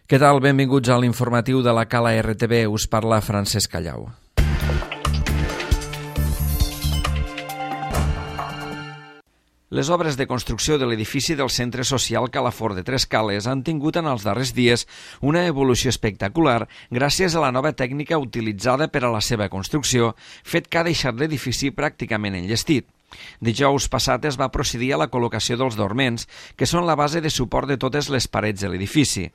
Què tal? Benvinguts a l'informatiu de la Cala RTV. Us parla Francesc Callau. Les obres de construcció de l'edifici del Centre Social Calafort de Tres Cales han tingut en els darrers dies una evolució espectacular gràcies a la nova tècnica utilitzada per a la seva construcció, fet que ha deixat l'edifici pràcticament enllestit. Dijous passat es va procedir a la col·locació dels dorments, que són la base de suport de totes les parets de l'edifici.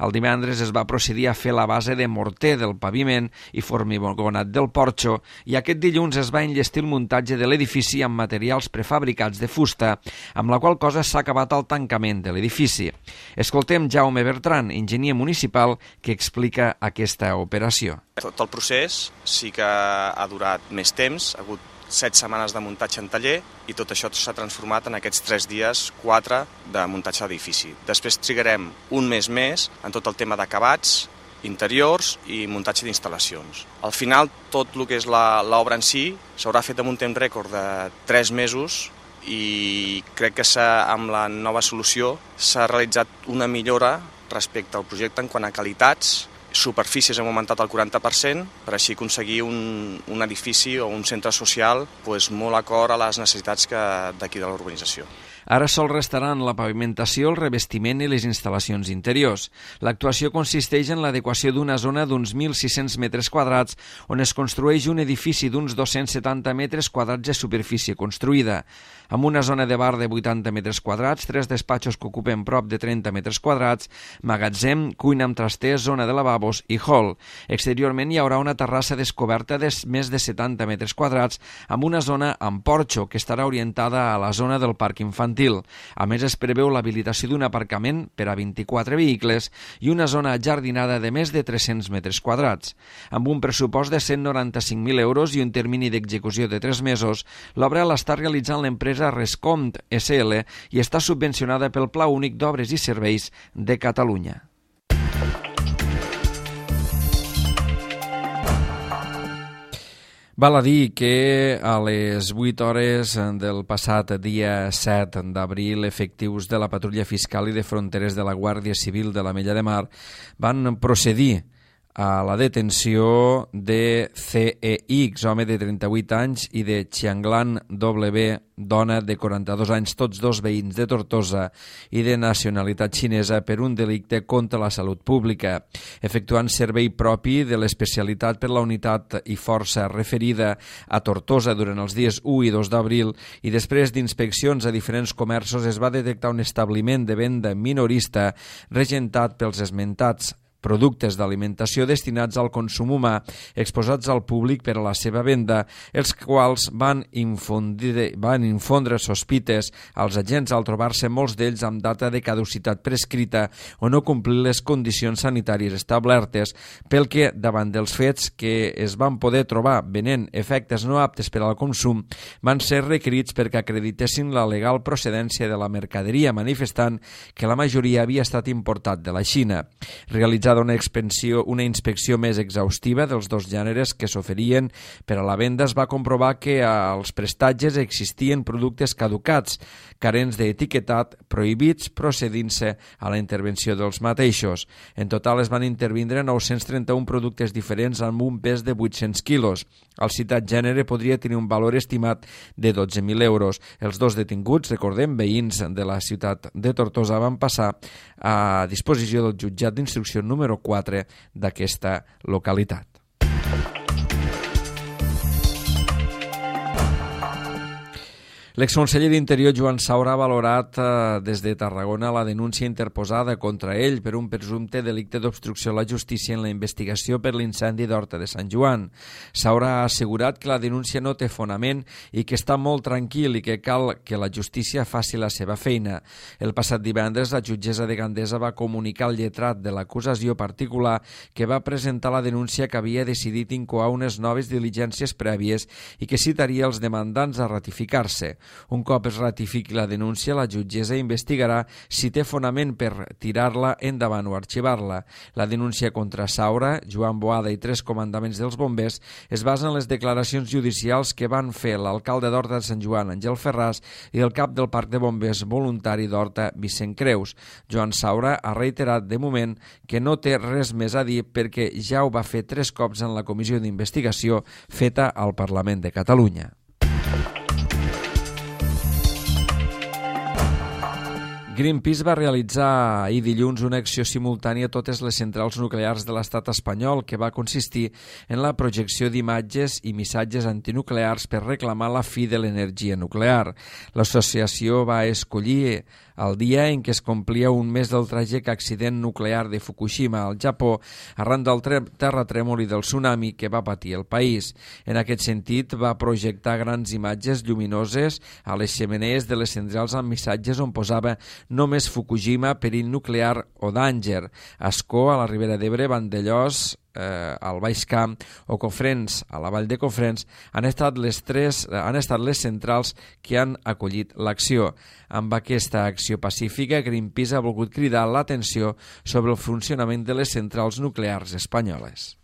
El divendres es va procedir a fer la base de morter del paviment i formigonat del porxo, i aquest dilluns es va enllestir el muntatge de l'edifici amb materials prefabricats de fusta, amb la qual cosa s'ha acabat el tancament de l'edifici. Escoltem Jaume Bertran, enginyer municipal, que explica aquesta operació. Tot el procés sí que ha durat més temps, ha hagut 7 setmanes de muntatge en taller i tot això s'ha transformat en aquests 3 dies, 4 de muntatge d'edifici. Després trigarem un mes més en tot el tema d'acabats, interiors i muntatge d'instal·lacions. Al final, tot el que és l'obra en si s'haurà fet amb un temps rècord de 3 mesos i crec que amb la nova solució s'ha realitzat una millora respecte al projecte en quant a qualitats. Superfícies hem augmentat el 40% per així aconseguir un edifici o un centre social molt acord a les necessitats d'aquí de l'urbanització. Ara sol restaran la pavimentació, el revestiment i les instal·lacions interiors. L'actuació consisteix en l'adequació d'una zona d'uns 1.600 metres quadrats on es construeix un edifici d'uns 270 metres quadrats de superfície construïda, amb una zona de bar de 80 metres quadrats, 3 despatxos que ocupen prop de 30 metres quadrats, magatzem, cuina amb trasters, zona de lavabos i hall. Exteriorment hi haurà una terrassa descoberta de més de 70 metres quadrats amb una zona amb porxo que estarà orientada a la zona del parc infantil. A més, es preveu l'habilitació d'un aparcament per a 24 vehicles i una zona jardinada de més de 300 metres quadrats. Amb un pressupost de 195.000 euros i un termini d'execució de 3 mesos, l'obra l'està realitzant l'empresa Rescompt SL i està subvencionada pel Pla Únic d'Obres i Serveis de Catalunya. Val a dir que a les 8 hores del passat dia 7 d'abril, efectius de la Patrulla Fiscal i de Fronteres de la Guàrdia Civil de l'Ametlla de Mar van procedir a la detenció de CEX, home de 38 anys, i de Xianglan W, dona de 42 anys, tots dos veïns de Tortosa i de nacionalitat xinesa, per un delicte contra la salut pública, efectuant servei propi de l'especialitat per la unitat i força referida a Tortosa durant els dies 1 i 2 d'abril, i després d'inspeccions a diferents comerços es va detectar un establiment de venda minorista regentat pels esmentats productes d'alimentació destinats al consum humà exposats al públic per a la seva venda, els quals van infondre sospites als agents al trobar-se molts d'ells amb data de caducitat prescrita o no complir les condicions sanitàries establertes, pel que, davant dels fets que es van poder trobar venent efectes no aptes per al consum, van ser requerits perquè acreditessin la legal procedència de la mercaderia, manifestant que la majoria havia estat importat de la Xina. Realitzada una inspecció més exhaustiva dels dos gèneres que s'oferien per a la venda, es va comprovar que als prestatges existien productes caducats, carents d'etiquetat, prohibits, procedint-se a la intervenció dels mateixos. En total es van intervindre 931 productes diferents amb un pes de 800 quilos. El citat gènere podria tenir un valor estimat de 12.000 euros. Els dos detinguts, recordem, veïns de la ciutat de Tortosa, van passar a disposició del jutjat d'instrucció número 4 d'aquesta localitat. L'exconseller d'Interior, Joan Saura, ha valorat des de Tarragona la denúncia interposada contra ell per un presumpte delicte d'obstrucció a la justícia en la investigació per l'incendi d'Horta de Sant Joan. Saura ha assegurat que la denúncia no té fonament i que està molt tranquil i que cal que la justícia faci la seva feina. El passat divendres, la jutgessa de Gandesa va comunicar al lletrat de l'acusació particular que va presentar la denúncia que havia decidit incoar unes noves diligències prèvies i que citaria els demandants a ratificar-se. Un cop es ratifiqui la denúncia, la jutgessa investigarà si té fonament per tirar-la endavant o arxivar-la. La denúncia contra Saura, Joan Boada i 3 comandaments dels bombers es basa en les declaracions judicials que van fer l'alcalde d'Horta de Sant Joan, Àngel Ferràs, i el cap del Parc de Bombers voluntari d'Horta, Vicent Creus. Joan Saura ha reiterat de moment que no té res més a dir perquè ja ho va fer 3 cops en la comissió d'investigació feta al Parlament de Catalunya. Greenpeace va realitzar ahir dilluns una acció simultània a totes les centrals nuclears de l'estat espanyol que va consistir en la projecció d'imatges i missatges antinuclears per reclamar la fi de l'energia nuclear. L'associació va escollir el dia en què es complia un mes del tràgic accident nuclear de Fukushima al Japó arran del terratrèmol i del tsunami que va patir el país. En aquest sentit, va projectar grans imatges lluminoses a les xemeneies de les centrals amb missatges on posava només Fukushima, perill nuclear o danger. Ascó, a la Ribera d'Ebre, Vandellòs, al Baix Camp o Cofrents, a la Vall de Cofrents, han estat les centrals que han acollit l'acció. Amb aquesta acció pacífica, Greenpeace ha volgut cridar l'atenció sobre el funcionament de les centrals nuclears espanyoles.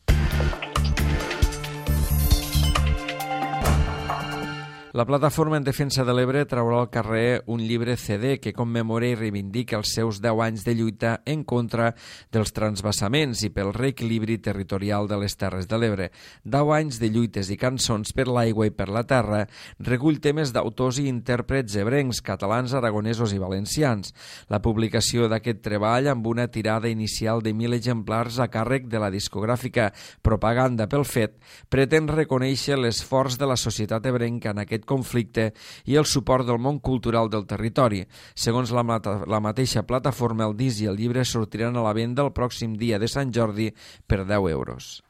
La Plataforma en Defensa de l'Ebre traurà al carrer un llibre CD que commemora i reivindica els seus 10 anys de lluita en contra dels transvasaments i pel reequilibri territorial de les Terres de l'Ebre. 10 anys de lluites i cançons per l'aigua i per la terra recull temes d'autors i intèrprets ebrencs, catalans, aragonesos i valencians. La publicació d'aquest treball, amb una tirada inicial de 1.000 exemplars a càrrec de la discogràfica Propaganda pel Fet, pretén reconèixer l'esforç de la societat ebrenca en aquest conflicte i el suport del món cultural del territori. Segons la mateixa plataforma, el disc i el llibre sortiran a la venda el pròxim dia de Sant Jordi per 10 euros.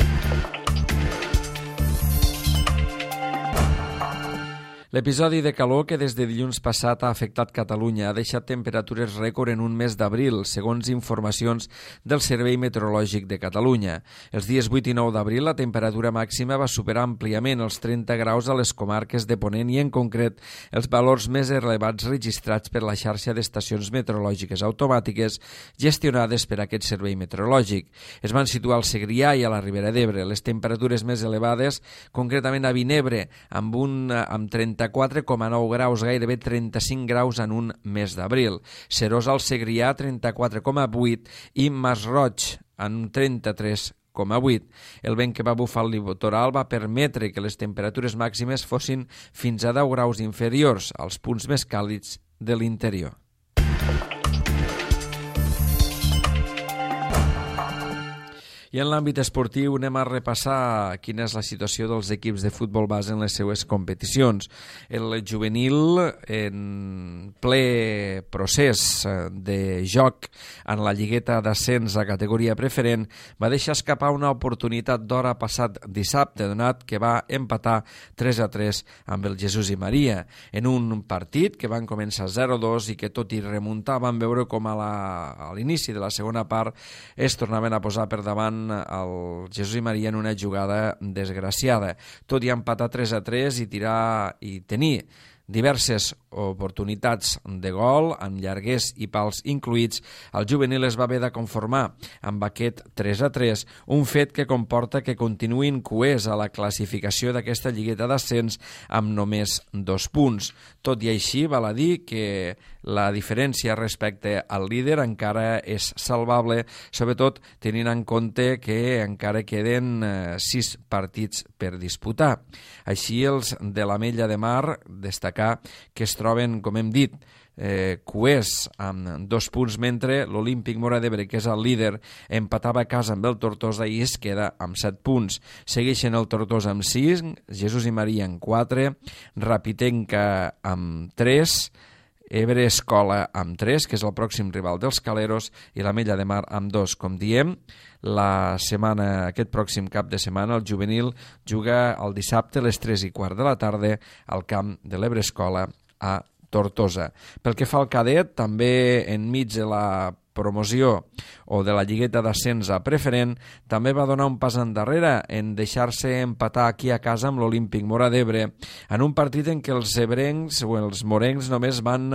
L'episodi de calor que des de dilluns passat ha afectat Catalunya ha deixat temperatures rècord en un mes d'abril, segons informacions del Servei Meteorològic de Catalunya. Els dies 8 i 9 d'abril la temperatura màxima va superar àmpliament els 30 graus a les comarques de Ponent i, en concret, els valors més elevats registrats per la xarxa d'estacions meteorològiques automàtiques gestionades per aquest servei meteorològic. Es van situar al Segrià i a la Ribera d'Ebre. Les temperatures més elevades, concretament a Vinebre, amb 34,9 graus, gairebé 35 graus en un mes d'abril. Serós al Segrià, 34,8 i Masroig, en 33,8. El vent que va bufar al litoral va permetre que les temperatures màximes fossin fins a 10 graus inferiors als punts més càlids de l'interior. I en l'àmbit esportiu anem a repassar quina és la situació dels equips de futbol base en les seues competicions. El juvenil, en ple procés de joc en la lligueta d'ascens a categoria preferent, va deixar escapar una oportunitat d'hora passat dissabte, donat que va empatar 3-3 amb el Jesús i Maria, en un partit que van començar 0-2 i que tot i remuntar van veure com a l'inici de la segona part es tornaven a posar per davant el Jesús i Maria en una jugada desgraciada. Tot i empatar 3-3 i tenir diverses oportunitats de gol, amb llarguers i pals incluïts, el juvenil es va haver de conformar amb aquest 3-3, un fet que comporta que continuïn coers a la classificació d'aquesta lligueta d'ascens amb només 2 punts. Tot i així, val a dir que la diferència respecte al líder encara és salvable, sobretot tenint en compte que encara queden 6 partits per disputar. Així, els de l'Ametlla de Mar, destacar que es troben, com hem dit, coers amb 2 punts, mentre l'Olímpic Móra d'Ebre, que és el líder, empatava a casa amb el Tortosa i es queda amb 7 punts. Segueixen el Tortosa amb 6, Jesús i Maria amb 4, Rapitenca amb 3, Ebre Escola amb 3, que és el pròxim rival dels Caleros, i l'Ametlla de Mar amb 2. Com diem, aquest pròxim cap de setmana el juvenil juga el dissabte a les 3:15 de la tarda al camp de l'Ebre Escola a Tortosa. Pel que fa al cadet, també enmig de la promoció o de la lligueta d'ascens a preferent, també va donar un pas endarrere en deixar-se empatar aquí a casa amb l'Olímpic Móra d'Ebre en un partit en què els ebrencs o els morencs només van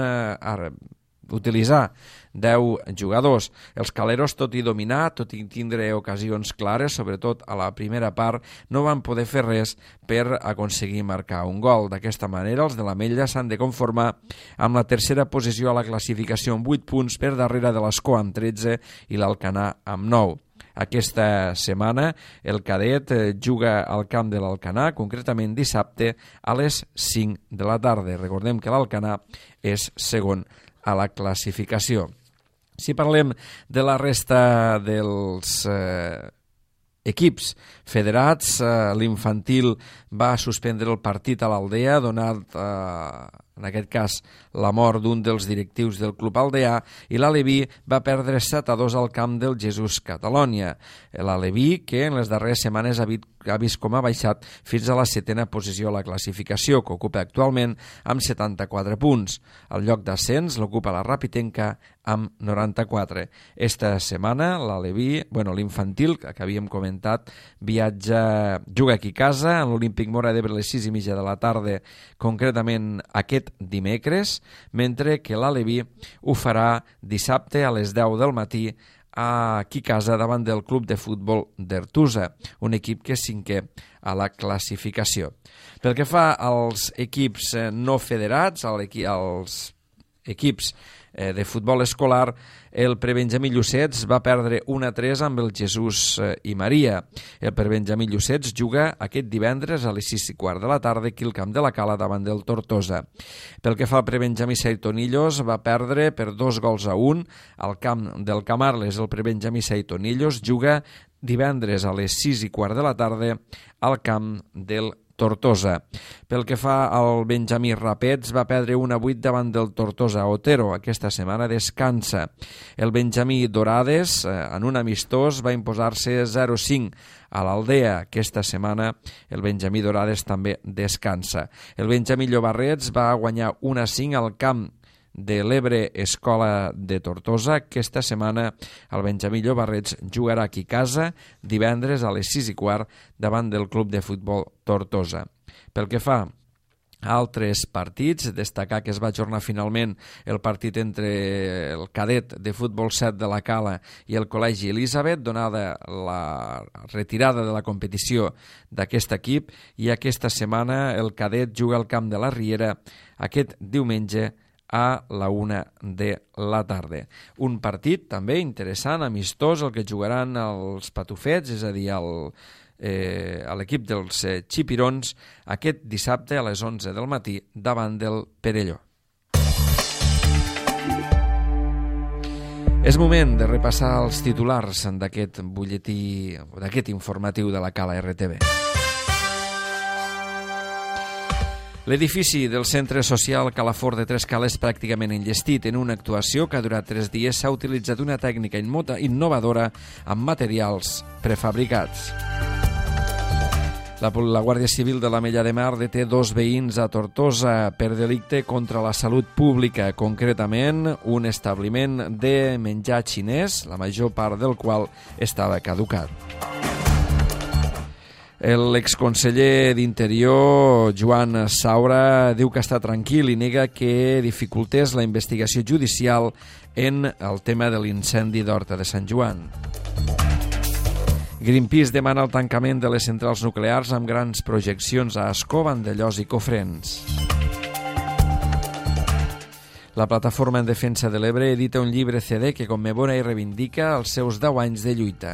utilitzar 10 jugadors. Els caleros, tot i dominar, tot i tindre ocasions clares, sobretot a la primera part, no van poder fer res per aconseguir marcar un gol. D'aquesta manera, els de l'Ametlla s'han de conformar amb la tercera posició a la classificació amb 8 punts per darrere de l'Escó amb 13 i l'Alcanar amb 9. Aquesta setmana el cadet juga al camp de l'Alcanar, concretament dissabte a les 5 de la tarda. Recordem que l'Alcanar és segon a la classificació. Si parlem de la resta dels equips federats, l'infantil va suspendre el partit a l'Aldea, donat en aquest cas la mort d'un dels directius del Club Aldeà, i l'Aleví va perdre 7-2 al camp del Jesús Catalònia. L'Aleví, que en les darreres setmanes ha vist com ha baixat fins a la 7a posició a la classificació, que ocupa actualment amb 74 punts. El lloc d'ascens l'ocupa la Rapitenca amb 94. Esta setmana l'Aleví, l'infantil, que havíem comentat, juga aquí a casa, en l'Olímpic Móra d'Ebre a les 6:30 de la tarda, concretament aquest dimecres, mentre que l'Aleví ho farà dissabte a les 10 del matí aquí a casa davant del Club de Futbol d'Ertusa, un equip que és cinquè a la classificació. Pel que fa als equips no federats, als equips de futbol escolar, el prebenjamí Llucets va perdre 1-3 amb el Jesús i Maria. El prebenjamí Llucets juga aquest divendres a les 6:15 de la tarda aquí al camp de la Cala davant del Tortosa. Pel que fa al prebenjamí Saitonillos, va perdre per 2-1 al camp del Camarles. El prebenjamí Saitonillos juga divendres a les 6:15 de la tarda al camp del Tortosa. Pel que fa al Benjamí Rapets, va perdre 1-8 davant del Tortosa Otero. Aquesta setmana descansa. El Benjamí Dorades, en un amistós, va imposar-se 0-5 a l'Aldea. Aquesta setmana el Benjamí Dorades també descansa. El Benjamí Llobarrets va guanyar 1-5 al camp de l'Ebre Escola de Tortosa. Aquesta setmana el Benjamí Llobarrets jugarà aquí a casa divendres a les 6:15 davant del Club de Futbol Tortosa. Pel que fa a altres partits, destacar que es va ajornar finalment el partit entre el cadet de futbol 7 de la Cala i el Col·legi Elisabet, donada la retirada de la competició d'aquest equip, i aquesta setmana el cadet juga al camp de la Riera aquest diumenge a la 1 de la tarda. Un partit també interessant, amistós, el que jugaran els patufets, és a dir, a l'equip dels xipirons, aquest dissabte a les 11 del matí davant del Perelló. És moment de repassar els titulars d'aquest butlletí, d'aquest informatiu de la Cala RTV. L'edifici del Centre Social Calafort de Trescales pràcticament enllestit. En una actuació que ha durat 3 dies s'ha utilitzat una tècnica innovadora amb materials prefabricats. La Guàrdia Civil de l'Ametlla de Mar deté 2 veïns a Tortosa per delicte contra la salut pública, concretament un establiment de menjar xinès, la major part del qual estava caducat. L'exconseller d'Interior, Joan Saura, diu que està tranquil i nega que dificultés la investigació judicial en el tema de l'incendi d'Horta de Sant Joan. Greenpeace demana el tancament de les centrals nuclears amb grans projeccions a Ascó, Vandellòs i Cofrents. La Plataforma en Defensa de l'Ebre edita un llibre CD que commemora i reivindica els seus 10 anys de lluita.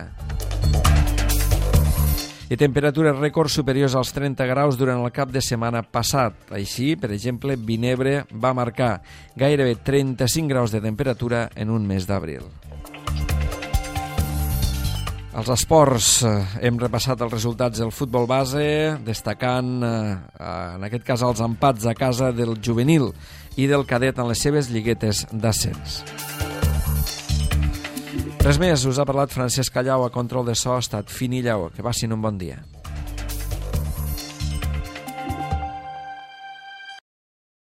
I temperatures rècords superiors als 30 graus durant el cap de setmana passat. Així, per exemple, Vinebre va marcar gairebé 35 graus de temperatura en un mes d'abril. Als esports hem repassat els resultats del futbol base, destacant en aquest cas els empats a casa del juvenil i del cadet en les seves lliguetes d'ascens. Res més, us ha parlat Francesc Callau, a control de so ha estat Fini Lleó. Que passin un bon dia.